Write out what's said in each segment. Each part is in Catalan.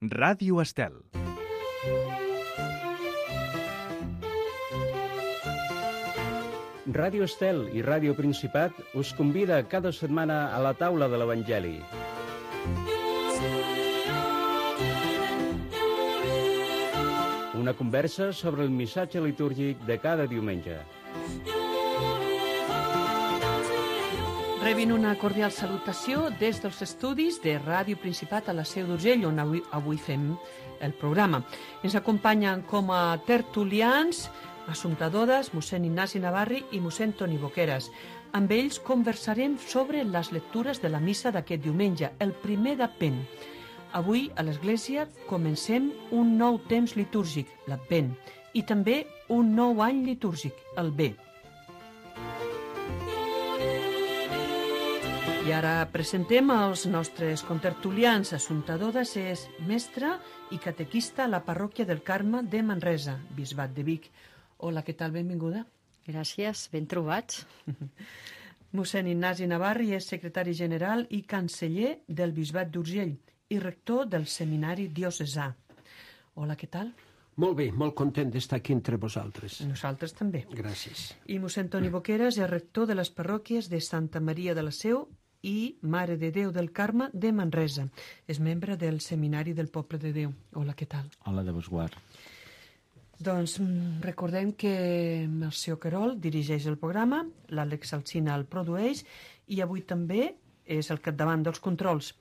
Ràdio Estel. Ràdio Estel i Ràdio Principat us convida cada setmana a la taula de l'Evangeli. Una conversa sobre el missatge litúrgic de cada diumenge. Rebin una cordial salutació des dels estudis de Ràdio Principat a la Seu d'Urgell, on avui fem el programa. Ens acompanyen com a tertulians Assumpta Dodas, mossèn Ignasi Navarri i mossèn Toni Boqueras. Amb ells conversarem sobre les lectures de la missa d'aquest diumenge, el primer d'Advent. Avui, a l'Església, comencem un nou temps litúrgic, l'Advent, i també un nou any litúrgic, el Bé. I ara presentem els nostres contertulians. Assumpta Dodas és mestra i catequista a la parròquia del Carme de Manresa, Bisbat de Vic. Hola, què tal? Benvinguda. Gràcies, ben trobats. Mossèn Ignasi Navarri és secretari general i canceller del Bisbat d'Urgell i rector del Seminari Diocesà. Hola, què tal? Molt bé, molt content d'estar aquí entre vosaltres. Nosaltres també. Gràcies. I mossèn Toni Boqueras és rector de les parròquies de Santa Maria de la Seu i Mare de Déu del Carme de Manresa. És membre del Seminari del Poble de Déu. Hola, què tal? Hola, de vos guard. Doncs recordem que Mercè Querol dirigeix el programa, l'Àlex Alsina el produeix i avui també és al capdavant dels controls.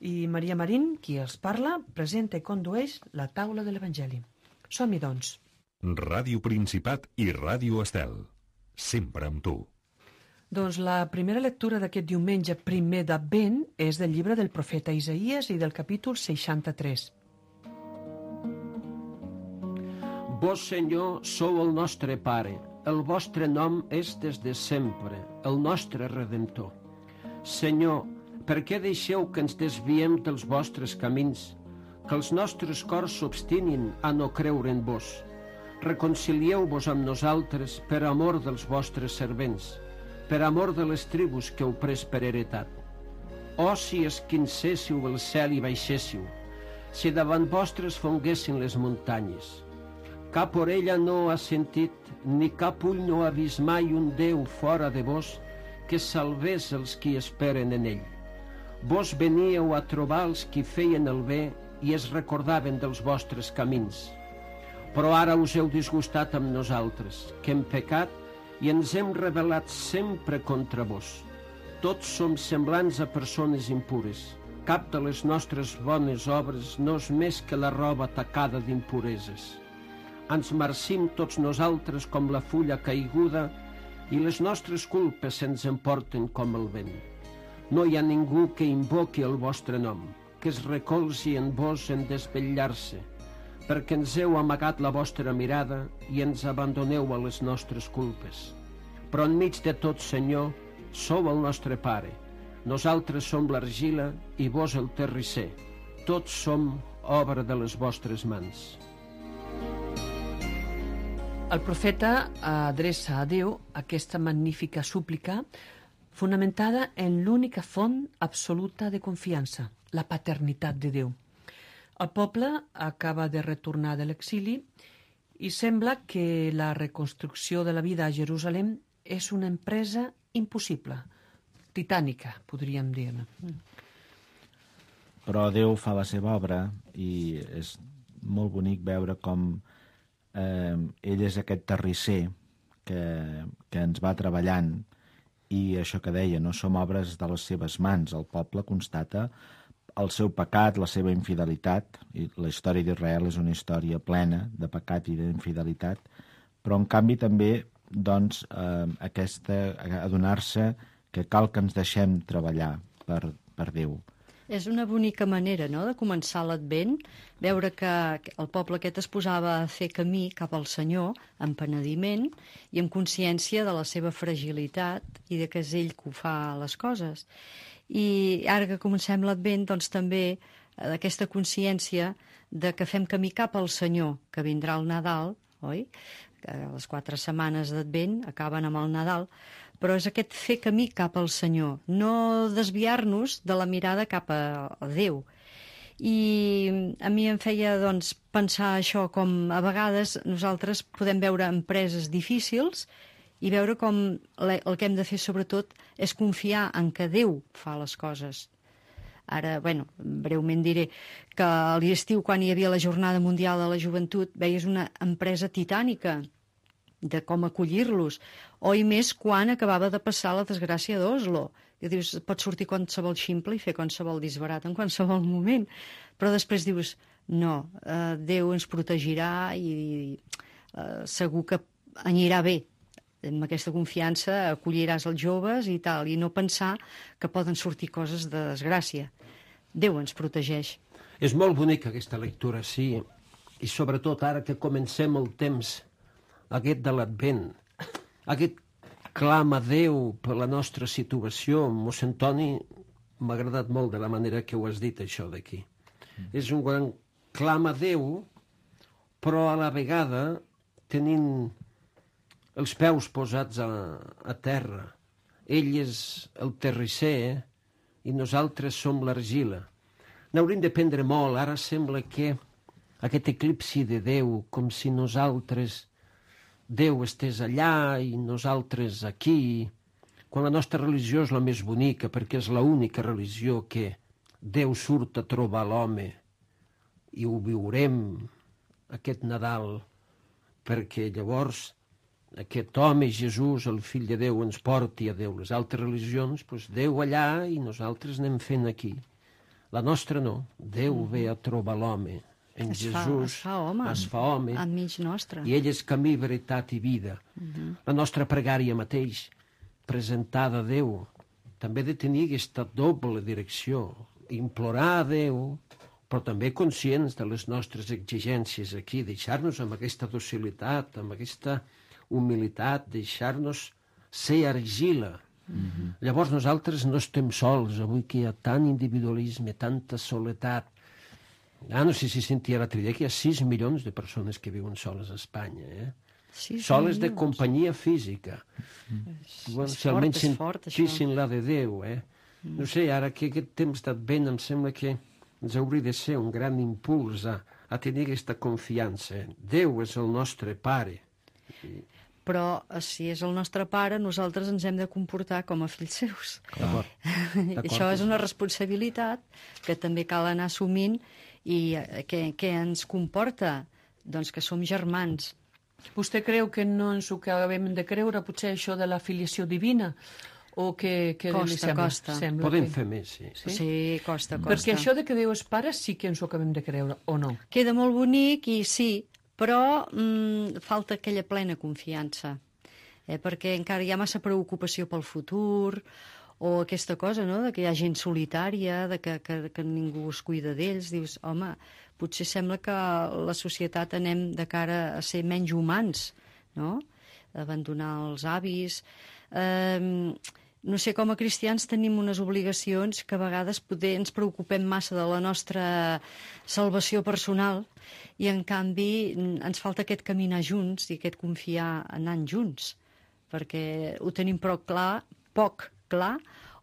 I Maria Marín, qui els parla, presenta i condueix la taula de l'Evangeli. Som-hi, doncs. Ràdio Principat i Ràdio Estel. Sempre amb tu. Doncs la primera lectura d'aquest diumenge primer d'Advent és del llibre del profeta Isaïes i del capítol 63. Vós, Senyor, sou el nostre Pare. El vostre nom és des de sempre, el nostre Redemptor. Senyor, per què deixeu que ens desviem dels vostres camins, que els nostres cors s'obstinin a no creure en vos? Reconcilieu-vos amb nosaltres per amor dels vostres servents, per amor de les tribus que heu pres per heretat. Oh, si esquincéssiu el cel i baixéssiu, si davant vostres fonguessin les muntanyes. Cap orella no ha sentit, ni cap ull no ha vist mai un Déu fora de vos que salvés els qui esperen en ell. Vos veníeu a trobar els qui feien el bé i es recordaven dels vostres camins. Però ara us heu disgustat amb nosaltres, que hem pecat i ens hem rebel·lat sempre contra vos. Tots som semblants a persones impures. Cap de les nostres bones obres no és més que la roba tacada d'impureses. Ens marcim tots nosaltres com la fulla caiguda i les nostres culpes se'ns emporten com el vent. No hi ha ningú que invoqui el vostre nom, que es recolzi en vos en desvetllar-se, perquè ens heu amagat la vostra mirada i ens abandoneu a les nostres culpes. Però enmig de tot, Senyor, sou el nostre Pare. Nosaltres som l'argila i vos el terrisser. Tots som obra de les vostres mans. El profeta adreça a Déu aquesta magnífica súplica fonamentada en l'única font absoluta de confiança, la paternitat de Déu. El poble acaba de retornar de l'exili i sembla que la reconstrucció de la vida a Jerusalem és una empresa impossible, titànica, podríem dir. Però Déu fa la seva obra i és molt bonic veure com ell és aquest terrisser que ens va treballant i això que deia, no som obres de les seves mans. El poble constata el seu pecat, la seva infidelitat, i la història d'Israel és una història plena de pecat i d'infidelitat, però en canvi també doncs, adonar-se que cal que ens deixem treballar per Déu. És una bonica manera, no?, de començar l'Advent, veure que el poble aquest es posava a fer camí cap al Senyor, amb penediment i amb consciència de la seva fragilitat i de que és ell que ho fa les coses. I ara que comencem l'Advent, doncs també aquesta consciència de que fem camí cap al Senyor, que vindrà el Nadal, oi? Que les 4 setmanes d'Advent acaben amb el Nadal, però és aquest fer camí cap al Senyor, no desviar-nos de la mirada cap a Déu. I a mi em feia doncs, pensar això, com a vegades nosaltres podem veure empreses difícils i veure com el que hem de fer sobretot és confiar en que Déu fa les coses. Ara, bueno, breument diré que a l'estiu, quan hi havia la Jornada Mundial de la Joventut, veies una empresa titànica de com acollir-los, o i més quan acabava de passar la desgràcia d'Oslo, que dius, pot sortir qualsevol ximple i fer qualsevol disbarat en qualsevol moment, però després dius, no, Déu ens protegirà i segur que anirà bé. Amb aquesta confiança acolliràs els joves i tal, i no pensar que poden sortir coses de desgràcia. Déu ens protegeix. És molt bonica aquesta lectura, sí, i sobretot ara que comencem el temps aquest de l'Advent, aquest clam a Déu per la nostra situació. Mossèn Toni, m'ha agradat molt de la manera que ho has dit, això d'aquí. És un gran clam a Déu, però a la vegada tenint els peus posats a terra. Ell és el terrisser i nosaltres som l'argila. N'hauríem de prendre molt. Ara sembla que aquest eclipsi de Déu, com si nosaltres, Déu estés allà i nosaltres aquí, quan la nostra religió és la més bonica, perquè és l'única religió que Déu surt a trobar l'home i ho viurem aquest Nadal, perquè llavors aquest home, Jesús, el fill de Déu, ens porti a Déu. Les altres religions, doncs Déu allà i nosaltres anem fent aquí. La nostra no. Déu ve a trobar l'home. En Jesús es fa home enmig nostre. I ell és camí, veritat i vida. La nostra pregària mateix, presentada a Déu, també ha de tenir aquesta doble direcció. Implorar a Déu, però també conscients de les nostres exigències aquí, deixar-nos amb aquesta docilitat, amb aquesta humilitat, deixar-nos ser argila. Llavors nosaltres no estem sols, avui que hi ha tant individualisme, tanta soledat. No sé si sentia l'altre dia que hi ha 6 milions de persones que viuen soles a Espanya, soles de companyia física. Si almenys sentissin la de Déu, No sé, ara que aquest temps d'Advent em sembla que ens hauria de ser un gran impuls a tenir aquesta confiança. Déu és el nostre Pare. Però si és el nostre Pare, nosaltres ens hem de comportar com a fills seus. Això és una responsabilitat que també cal anar assumint i que ens comporta? Doncs que som germans. Vostè creu que no ens ho acabem de creure, potser això de la filiació divina? O que Costa. Podem fer més, sí. Sí, costa. Perquè això de que Déu és pare sí que ens ho acabem de creure, o no? Queda molt bonic i sí, però falta aquella plena confiança, perquè encara hi ha massa preocupació pel futur, o aquesta cosa, no?, de que hi ha gent solitària, de que ningú es cuida d'ells. Dius, home, potser sembla que la societat anem de cara a ser menys humans, no?, abandonar els avis. No sé, com a cristians tenim unes obligacions que a vegades poder ens preocupem massa de la nostra salvació personal i en canvi ens falta aquest caminar junts i aquest confiar anant junts, perquè ho tenim poc clar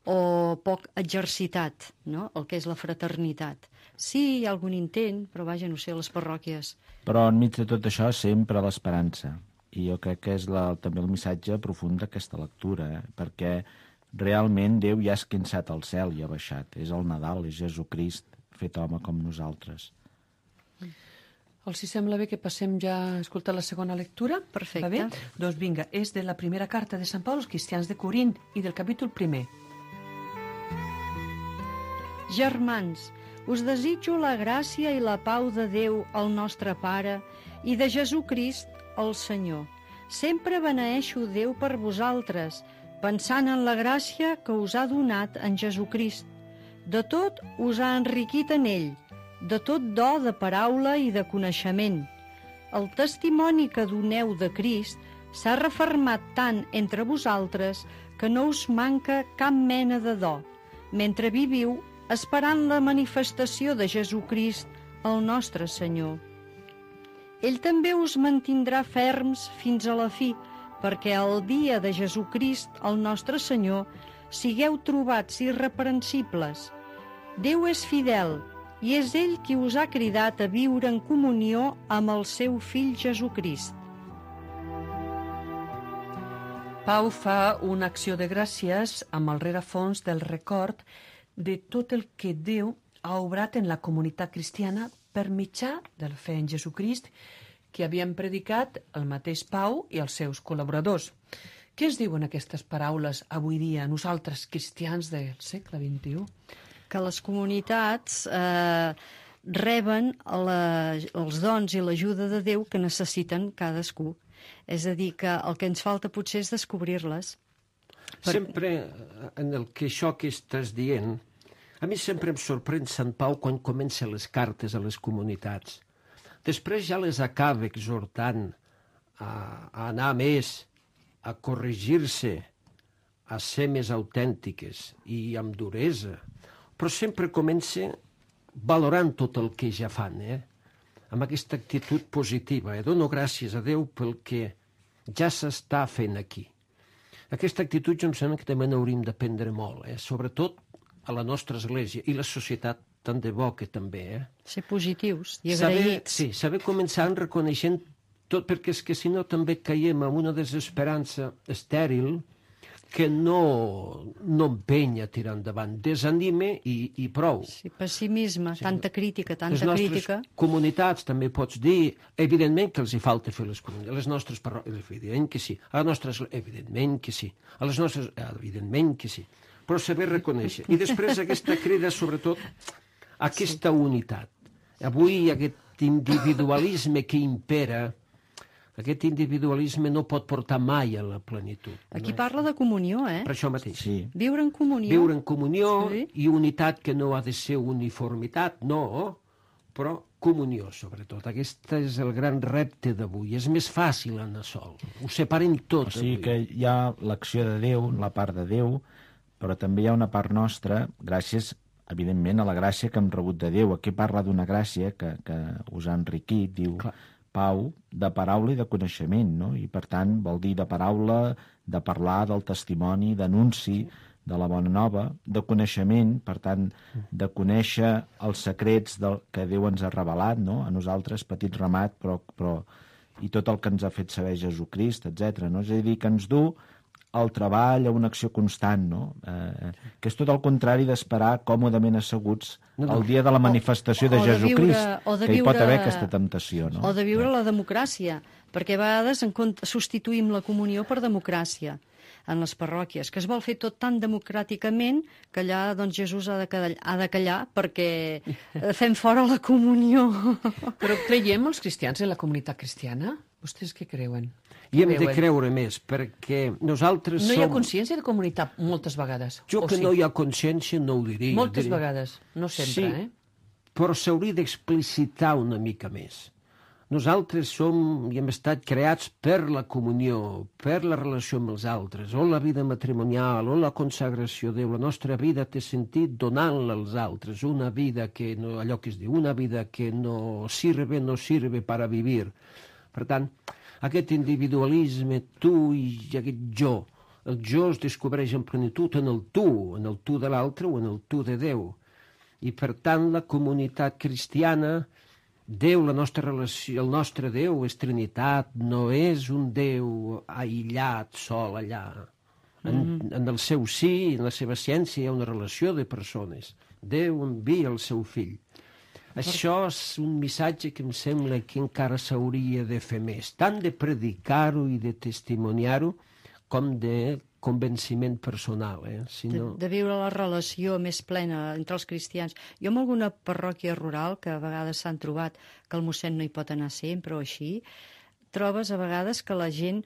o poc exercitat, no?, el que és la fraternitat. Sí, hi ha algun intent, però vaja, no sé, a les parròquies. Però enmig de tot això sempre l'esperança. I jo crec que és també el missatge profund d'aquesta lectura, perquè realment Déu ja ha esquinçat el cel i ha baixat. És el Nadal, és Jesucrist fet home com nosaltres. Els hi sembla bé que passem ja a escoltar la segona lectura? Perfecte. Va bé? Doncs vinga, és de la primera carta de Sant Pau als cristians de Corint i del capítol 1. Germans, us desitjo la gràcia i la pau de Déu, el nostre Pare, i de Jesucrist, el Senyor. Sempre beneeixo Déu per vosaltres, pensant en la gràcia que us ha donat en Jesucrist. De tot us ha enriquit en ell, de tot do de paraula i de coneixement. El testimoni que doneu de Crist s'ha refermat tant entre vosaltres que no us manca cap mena de do, mentre viviu esperant la manifestació de Jesucrist, el nostre Senyor. Ell també us mantindrà ferms fins a la fi, perquè al dia de Jesucrist, el nostre Senyor, sigueu trobats irreprensibles. Déu és fidel, i és ell qui us ha cridat a viure en comunió amb el seu fill Jesucrist. Pau fa una acció de gràcies amb el rerefons del record de tot el que Déu ha obrat en la comunitat cristiana per mitjà de la fe en Jesucrist que havien predicat el mateix Pau i els seus col·laboradors. Què es diuen aquestes paraules avui dia, nosaltres, cristians del segle XXI? Que les comunitats reben els dons i l'ajuda de Déu que necessiten cadascú. És a dir, que el que ens falta potser és descobrir-les. Sempre en el que això que estàs dient, a mi sempre em sorprèn Sant Pau quan comença les cartes a les comunitats. Després ja les acaba exhortant a anar més, a corregir-se, a ser més autèntiques i amb duresa. Però sempre comença valorant tot el que ja fan, amb aquesta actitud positiva. Dono gràcies a Déu pel que ja s'està fent aquí. Aquesta actitud jo em sembla que també n'hauríem d'aprendre molt, sobretot a la nostra església i la societat tant de bo que també. Ser positius i agraïts. Saber començar reconeixent tot, perquè és que si no també caiem en una desesperança estèril que no empenya a tirar endavant, desanime i prou. Sí, pessimisme, tanta crítica, tanta crítica. Les nostres comunitats, també pots dir, evidentment que els hi falta fer les comunitats, les nostres parròquies, evidentment que sí, a les nostres, evidentment que sí, a les nostres, evidentment que sí, però saber reconèixer. I després aquesta crida, sobretot, aquesta unitat. Avui aquest individualisme que impera, aquest individualisme no pot portar mai a la plenitud. Aquí parla de comunió, Per això mateix. Sí. Viure en comunió. Viure en comunió i unitat que no ha de ser uniformitat, no, però comunió, sobretot. Aquest és el gran repte d'avui. És més fàcil anar sol. Ho separem tot. O sigui que hi ha l'acció de Déu, la part de Déu, però també hi ha una part nostra, gràcies, evidentment, a la gràcia que hem rebut de Déu. Aquí parla d'una gràcia que us ha enriquit, diu... Clar. Pau, de paraula i de coneixement, no? I per tant vol dir de paraula, de parlar, del testimoni, d'anunci, de la bona nova, de coneixement, per tant, de conèixer els secrets que Déu ens ha revelat, no? A nosaltres, petit ramat, però i tot el que ens ha fet saber Jesucrist, etc. No? És a dir, que ens du al treball, a una acció constant, no? Que és tot el contrari d'esperar còmodament asseguts el dia de la manifestació de Jesucrist, que hi pot haver aquesta temptació, no? O de viure la democràcia, perquè a vegades substituïm la comunió per democràcia en les parròquies, que es vol fer tot tan democràticament que allà doncs, Jesús ha de callar perquè fem fora la comunió. Però creiem els cristians en la comunitat cristiana? Vostès què creuen? I hem de creure més, perquè nosaltres som... No hi ha consciència de comunitat moltes vegades. Jo que no hi ha consciència no ho diria. Moltes vegades, no sempre, però s'hauria d'explicitar una mica més. Nosaltres som i hem estat creats per la comunió, per la relació amb els altres, o la vida matrimonial, o la consagració a Déu. La nostra vida té sentit donant-la als altres, una vida que, no, allò que es diu, una vida que no sirve para vivir. Per tant, aquest individualisme, tu i aquest jo, el jo es descobreix en plenitud en el tu de l'altre o en el tu de Déu. I per tant la comunitat cristiana, Déu, la nostra relació, el nostre Déu és Trinitat, no és un Déu aïllat, sol allà. En el seu sí, en la seva ciència hi ha una relació de persones. Déu envia el seu fill. Això és un missatge que em sembla que encara s'hauria de fer més, tant de predicar-ho i de testimoniar-ho com de convenciment personal. De viure la relació més plena entre els cristians. Jo en alguna parròquia rural, que a vegades s'han trobat que el mossèn no hi pot anar sempre o així, trobes a vegades que la gent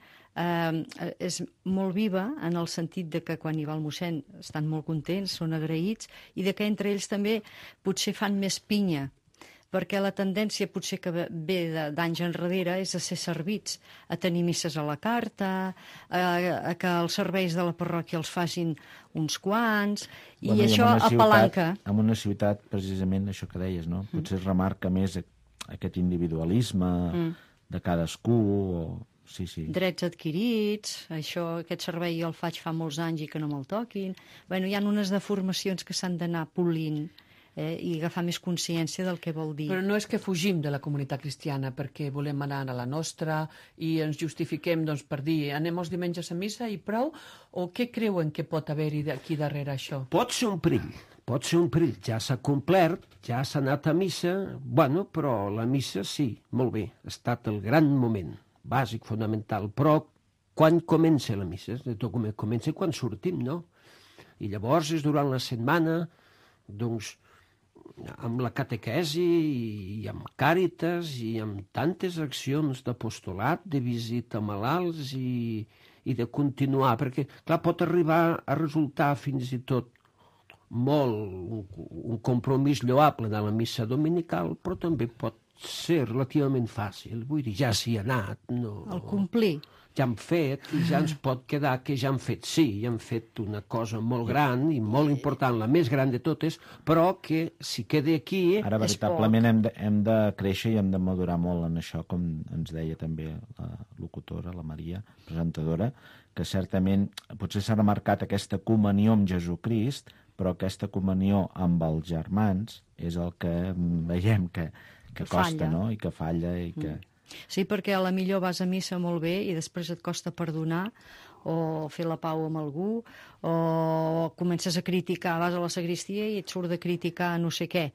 és molt viva en el sentit de que quan hi va el mossèn estan molt contents, són agraïts, i de que entre ells també potser fan més pinya, perquè la tendència potser que ve d'anys enrere és a ser servits, a tenir misses a la carta, a que els serveis de la parròquia els facin uns quants, i això apalanca. En una ciutat, precisament, això que deies, no? Potser es remarca més aquest individualisme de cadascú, o... Sí. Drets adquirits, aquest servei jo el faig fa molts anys i que no me'l toquin. Bueno, hi ha unes deformacions que s'han d'anar polint i agafar més consciència del que vol dir. Però no és que fugim de la comunitat cristiana perquè volem anar a la nostra i ens justifiquem doncs, per dir anem els diumenges a missa i prou, o què creuen que pot haver-hi aquí darrere això? Pot ser un perill, ja s'ha complert, ja s'ha anat a missa, bueno, però la missa sí, molt bé, ha estat el gran moment, bàsic, fonamental, però quan comença la missa? Comença quan sortim, no? I llavors és durant la setmana, doncs, amb la catequesi i amb Càritas i amb tantes accions d'apostolat, de visita a malalts i de continuar, perquè, clar, pot arribar a resultar fins i tot molt un compromís lloable de la missa dominical, però també pot ser relativament fàcil. Vull dir, ja s'hi ha anat. No, el complir. Ja han fet i ja ens pot quedar que ja han fet, sí, ja han fet una cosa molt gran i molt important, la més gran de totes, però que si queda aquí... Ara, veritablement, hem de créixer i hem de madurar molt en això, com ens deia també la locutora, la Maria, presentadora, que certament potser s'ha remarcat aquesta comunió amb Jesucrist, però aquesta comunió amb els germans és el que veiem que costa, no? I que falla i que... Sí, perquè a la millor vas a missa molt bé i després et costa perdonar o fer la pau amb algú, o comences a criticar, vas a la sagristia i et surt de criticar no sé què,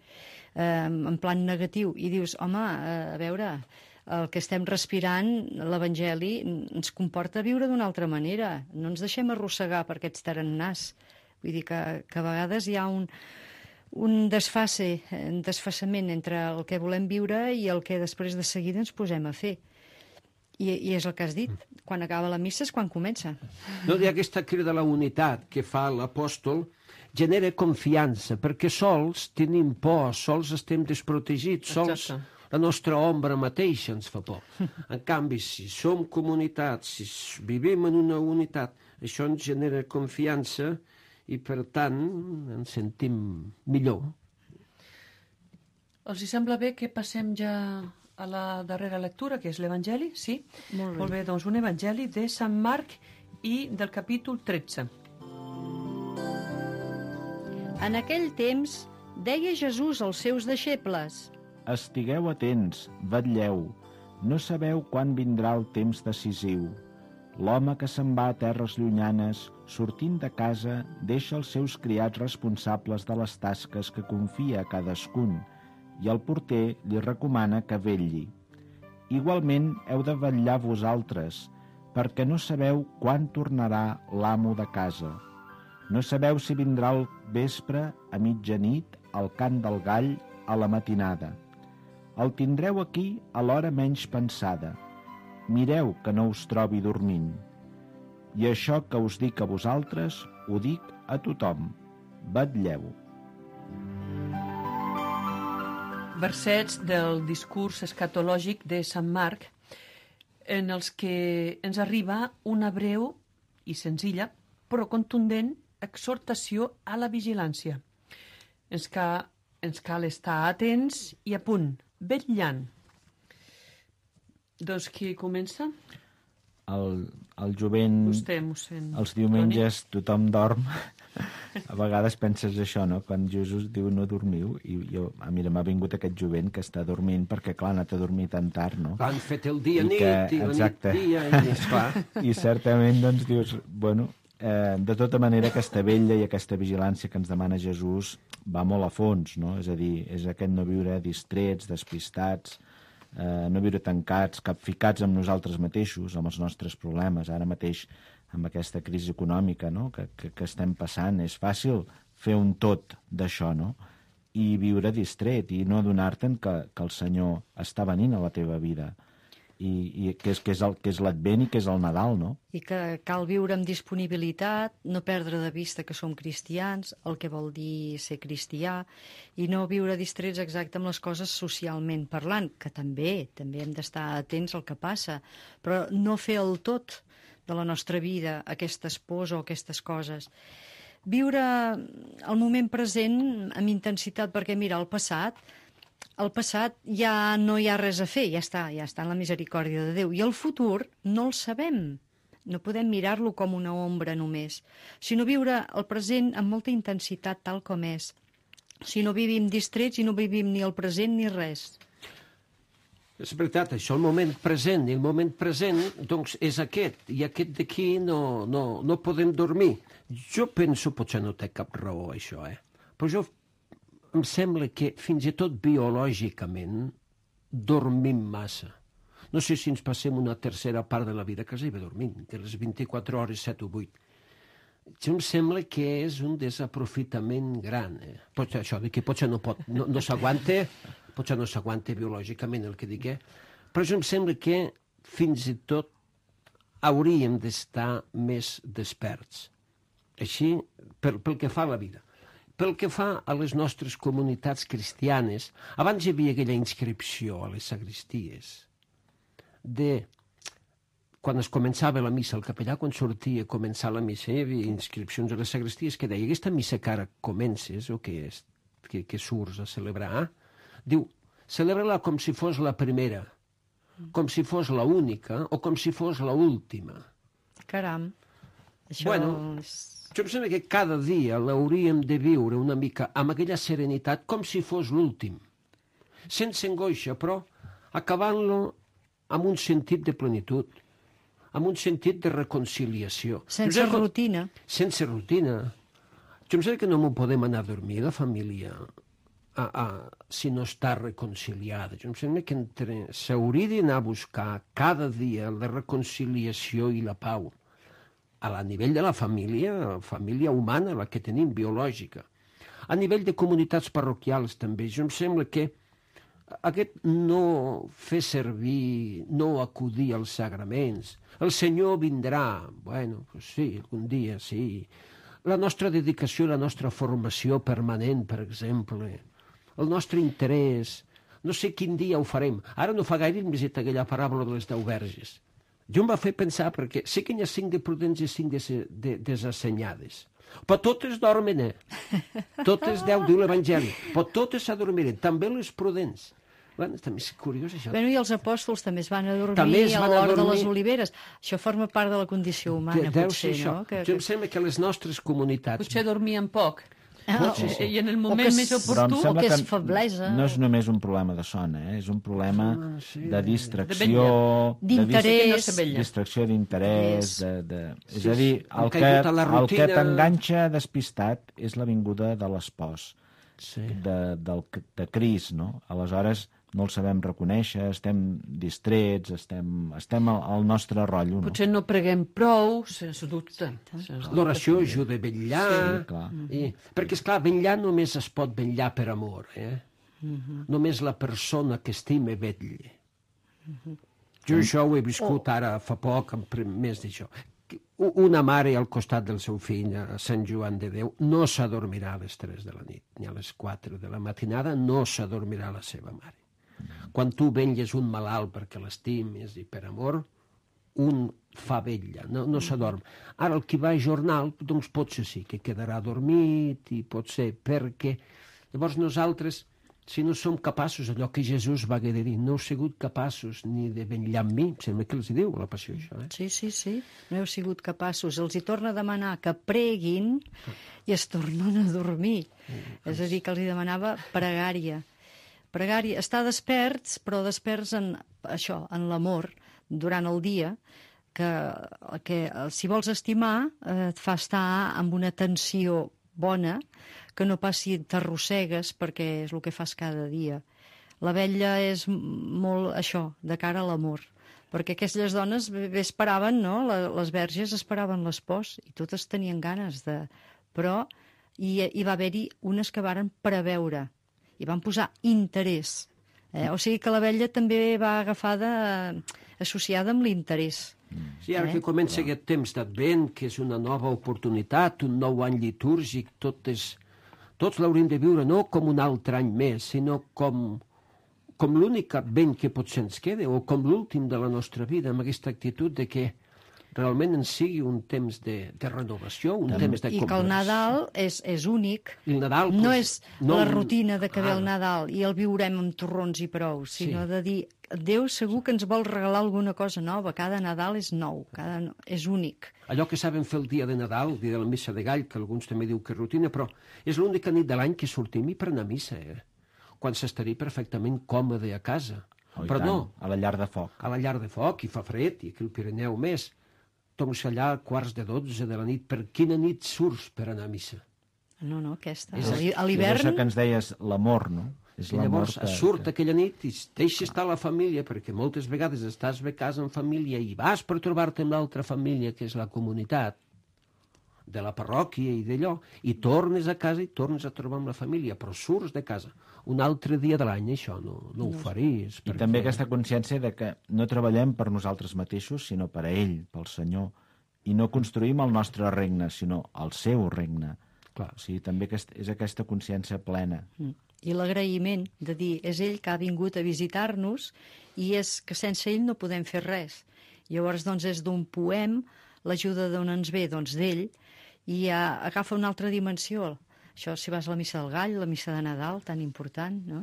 en plan negatiu, i dius, home, a veure, el que estem respirant, l'Evangeli, ens comporta viure d'una altra manera, no ens deixem arrossegar per aquests tarannàs. Vull dir que a vegades hi ha un desfasament entre el que volem viure i el que després de seguida ens posem a fer. I és el que has dit, quan acaba la missa és quan comença. No, i aquesta crida a la unitat que fa l'apòstol genera confiança, perquè sols tenim por, sols estem desprotegits, sols la nostra ombra mateixa ens fa por. En canvi, si som comunitat, si vivim en una unitat, això ens genera confiança i, per tant, ens sentim millor. Els hi sembla bé que passem ja a la darrera lectura, que és l'Evangeli? Sí? Molt bé, doncs un Evangeli de Sant Marc i del capítol 13. En aquell temps, deia Jesús als seus deixebles: Estigueu atents, vetlleu, no sabeu quan vindrà el temps decisiu. L'home que se'n va a terres llunyanes, sortint de casa, deixa els seus criats responsables de les tasques que confia a cadascun, i el porter li recomana que vetlli. Igualment heu de vetllar vosaltres, perquè no sabeu quan tornarà l'amo de casa. No sabeu si vindrà al vespre, a mitjanit, al cant del gall, a la matinada. El tindreu aquí a l'hora menys pensada. Mireu que no us trobi dormint. I això que us dic a vosaltres, ho dic a tothom. Vetlleu. Versets del discurs escatològic de Sant Marc, en els que ens arriba una breu i senzilla, però contundent, exhortació a la vigilància. Ens cal estar atents i a punt, vetllant. Doncs qui comença? El jovent... Vostè, mossèn. Els diumenges tothom dorm. A vegades penses això, no? Quan Jesús diu no dormiu, i mira, m'ha vingut aquest jovent que està dormint perquè, clar, ha anat a dormir tan tard, no? Han fet el dia nit, i la nit dia, i esclar. I certament, doncs, dius, bueno, de tota manera, aquesta vetlla i aquesta vigilància que ens demana Jesús va molt a fons, no? És a dir, és aquest no viure distrets, despistats, no viure tancats, capficats amb nosaltres mateixos, amb els nostres problemes. Ara mateix, amb aquesta crisi econòmica, no? que estem passant, és fàcil fer un tot d'això, no? I viure distret i no adonar-te'n que el Senyor està venint a la teva vida i que és l'Advent i que és el Nadal, no? I que cal viure amb disponibilitat, no perdre de vista que som cristians, el que vol dir ser cristià, i no viure distrets exacte amb les coses socialment parlant, que també hem d'estar atents al que passa, però no fer el tot de la nostra vida, aquestes pors o aquestes coses. Viure el moment present amb intensitat, perquè mira, el passat ja no hi ha res a fer, ja està en la misericòrdia de Déu. I el futur no el sabem. No podem mirar-lo com una ombra només, sinó viure el present amb molta intensitat tal com és. Si no vivim distrets i no vivim ni el present ni res. És veritat, això, el moment present. I el moment present, doncs, és aquest. I aquest d'aquí no podem dormir. Jo penso, potser no té cap raó, això, però em sembla que fins i tot biològicament dormim massa. No sé si ens passem una tercera part de la vida quasi bé dormint, de les 24 hores, 7 o 8. Jo em sembla que és un desaprofitament gran. Potser això, que potser no s'aguanta, potser no s'aguanta biològicament el que dic, però jo em sembla que fins i tot hauríem d'estar més desperts. Així, pel que fa a la vida. Pel que fa a les nostres comunitats cristianes, abans hi havia aquella inscripció a les sagristies quan es començava la missa, el capellà, quan sortia a començar la missa, hi havia inscripcions a les sagristies que deia, aquesta missa que ara comences, o que surts a celebrar, diu, celebra-la com si fos la primera, com si fos la única, o com si fos la última. Caram, això jo em sembla que cada dia l'hauríem de viure una mica amb aquella serenitat, com si fos l'últim, sense angoixa, però acabant-lo amb un sentit de plenitud, amb un sentit de reconciliació. Sense rutina. Sense rutina. Jo em sembla que no m'ho podem anar a dormir, la família, si no està reconciliada. Jo em sembla que s'hauria d'anar a buscar cada dia la reconciliació i la pau. A nivell de la família humana, la que tenim, biològica. A nivell de comunitats parroquials, també. Jo em sembla que aquest no fer servir, no acudir als sagraments. El Senyor vindrà. Bueno, pues sí, algun dia, sí. La nostra dedicació, la nostra formació permanent, per exemple. El nostre interès. No sé quin dia ho farem. Ara no fa gaire hem visitat aquella paràbola de les 10 verges. Jo em va fer pensar, perquè sé que hi ha 5 de prudents i 5 de desassenyades. Però totes dormen, Totes 10, diu l'Evangeli. Però totes s'adormiren, també les prudents. Bueno, també és curiós, això. Bueno, i els apòstols també es van adormir a l'hora de les oliveres. Això forma part de la condició humana, potser, no? Jo em sembla que les nostres comunitats... Potser dormien poc. I en el moment més oportú... O que és feblesa. No és només un problema de son, és un problema de distracció... D'interès. Distracció d'interès. És a dir, el que t'enganxa despistat és la vinguda de l'espòs, de Crist, no? Aleshores no el sabem reconèixer, estem distrets, estem al nostre rotllo. Potser no preguem prou, sens dubte. L'oració ajuda a vetllar. Sí, clar. Perquè, esclar, vetllar només es pot vetllar per amor. Només la persona que estima vetlla. Jo això ho he viscut ara fa poc, més d'això. Una mare al costat del seu fill, a Sant Joan de Déu, no s'adormirà a les 3 de la nit, ni a les 4 de la matinada, no s'adormirà la seva mare. Quan tu vetlles un malalt perquè l'estimes i per amor, un fa vetlla, no s'adorm. Ara, el qui va a jornal, doncs potser sí que quedarà dormit i potser perquè... Llavors nosaltres, si no som capaços, allò que Jesús va haver de dir, no heu sigut capaços ni de vetllar amb mi, sembla que els diu a la passió això. Sí, no heu sigut capaços. Els hi torna a demanar que preguin i es tornen a dormir. És a dir, que els hi demanava pregària. Pregària, estar desperts, però desperts en això, en l'amor, durant el dia, que si vols estimar et fa estar amb una tensió bona, que no passi t'arrossegues perquè és el que fas cada dia. La vetlla és molt això, de cara a l'amor, perquè aquestes dones bé esperaven, no? Les verges esperaven l'espòs i totes tenien ganes de... Però hi va haver-hi unes que varen preveure i van posar interès. O sigui que la vetlla també va agafada, associada amb l'interès. Sí, ara que comença aquest temps d'Advent, que és una nova oportunitat, un nou any litúrgic, tots l'hauríem de viure no com un altre any més, sinó com l'únic Advent que potser ens queda, o com l'últim de la nostra vida, amb aquesta actitud de que realment en sigui un temps de renovació, un temps de I que el Nadal és únic. I el Nadal, no pues, és la rutina de que ve el Nadal i el viurem amb torrons i prou, sinó de dir, Déu segur que ens vol regalar alguna cosa nova. Cada Nadal és nou, és únic. Allò que saben fer el dia de Nadal, el dia de la missa de gall, que alguns també diu que és rutina, però és l'única nit de l'any que sortim i per anar a missa, quan s'estaria perfectament còmode a casa. Però no, a la llar de foc. A la llar de foc, i fa fred, i aquí al Pirineu més. Doncs allà a 11:45 de la nit. Per quina nit surts per anar a missa? No, aquesta. A l'hivern... És això que ens deies, l'amor, no? És I llavors surt aquella nit i deixa estar la família, perquè moltes vegades estàs a casa en família i vas per trobar-te amb l'altra família, que és la comunitat de la parròquia i d'allò, i tornes a casa i tornes a trobar amb la família, però surts de casa. Un altre dia de l'any això no ho faries. I també aquesta consciència de que no treballem per nosaltres mateixos, sinó per a ell, pel Senyor, i no construïm el nostre regne, sinó el seu regne. Clar. O sigui, també és aquesta consciència plena. I l'agraïment de dir, és ell que ha vingut a visitar-nos i és que sense ell no podem fer res. Llavors, doncs, és d'un poem, l'ajuda d'on ens ve, doncs, d'ell, i agafa una altra dimensió. Això, si vas a la missa del gall, la missa de Nadal, tan important, no?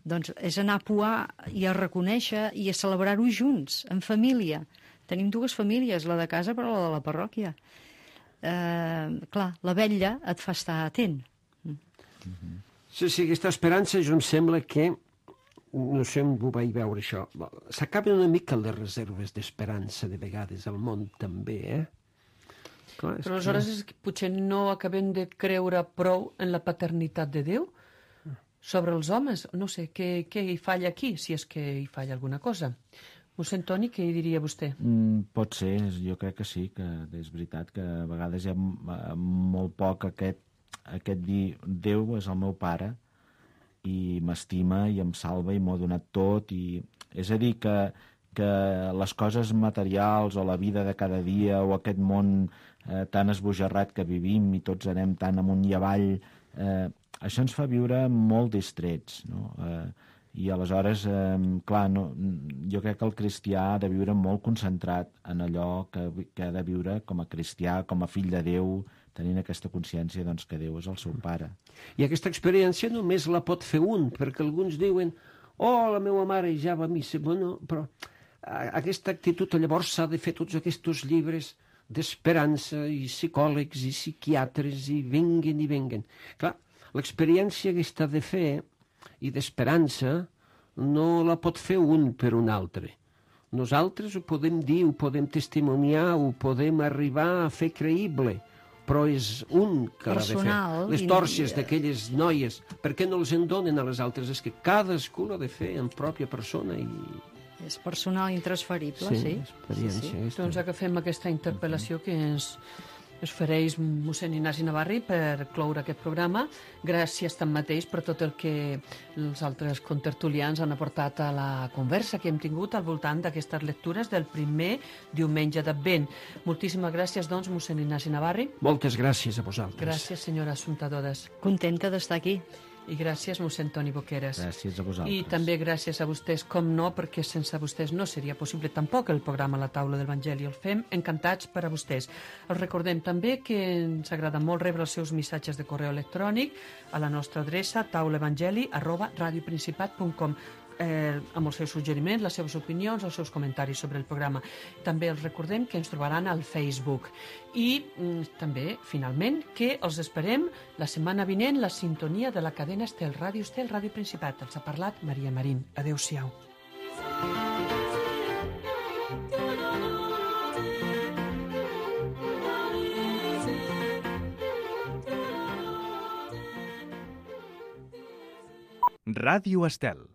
Doncs és anar a poar i a reconèixer i a celebrar-ho junts, en família. Tenim dues famílies, la de casa però la de la parròquia. Clar, la vetlla et fa estar atent. Sí, aquesta esperança, jo em sembla que, no sé on ho vaig veure això, s'acaben una mica les reserves d'esperança de vegades al món també, Clar, però aleshores és que potser no acabem de creure prou en la paternitat de Déu sobre els homes. No sé, què hi falla aquí, si és que hi falla alguna cosa. Mossèn Toni, què hi diria vostè? Pot ser, jo crec que sí, que és veritat que a vegades hi ha molt poc aquest dir Déu és el meu pare i m'estima i em salva i m'ho ha donat tot. És a dir, que les coses materials o la vida de cada dia o aquest món tan esbojarrat que vivim i tots anem tan amunt i avall, això ens fa viure molt distrets, no? I aleshores, clar, jo crec que el cristià ha de viure molt concentrat en allò que ha de viure com a cristià, com a fill de Déu, tenint aquesta consciència doncs, que Déu és el seu pare. I aquesta experiència només la pot fer un, perquè alguns diuen la meva mare ja va a missa. Bueno, però aquesta actitud llavors s'ha de fer tots aquests llibres d'esperança i psicòlegs i psiquiatres i venguen. Clar, l'experiència que està de fer i d'esperança no la pot fer un per un altre. Nosaltres ho podem dir, ho podem testimoniar, ho podem arribar a fer creïble, però és un que l'ha de fer. Les tòrcies d'aquelles noies, per què no els en donen a les altres? És que cadascú l'ha de fer en pròpia persona i... És personal, intransferible, sí. Experiència. Sí. Doncs agafem aquesta interpel·lació que ens fareix mossèn Ignasi Navarri per cloure aquest programa. Gràcies tanmateix per tot el que els altres contertulians han aportat a la conversa que hem tingut al voltant d'aquestes lectures del primer diumenge d'Advent. Moltíssimes gràcies, doncs, mossèn Ignasi Navarri. Moltes gràcies a vosaltres. Gràcies, senyora Assumpta Dodes. Contenta d'estar aquí. I gràcies, mossèn Toni Boqueras. Gràcies a vosaltres. I també gràcies a vostès, com no, perquè sense vostès no seria possible tampoc el programa La Taula de l'Evangeli. El fem encantats per a vostès. Els recordem també que ens agrada molt rebre els seus missatges de correu electrònic a la nostra adreça taulaevangeli@radioprincipat.com amb els seus suggeriments, les seves opinions, els seus comentaris sobre el programa. També els recordem que ens trobaran al Facebook. I també, finalment, que els esperem la setmana vinent la sintonia de la cadena Estel, Ràdio Principat. Els ha parlat Maria Marín. Adéu-siau. Ràdio Estel.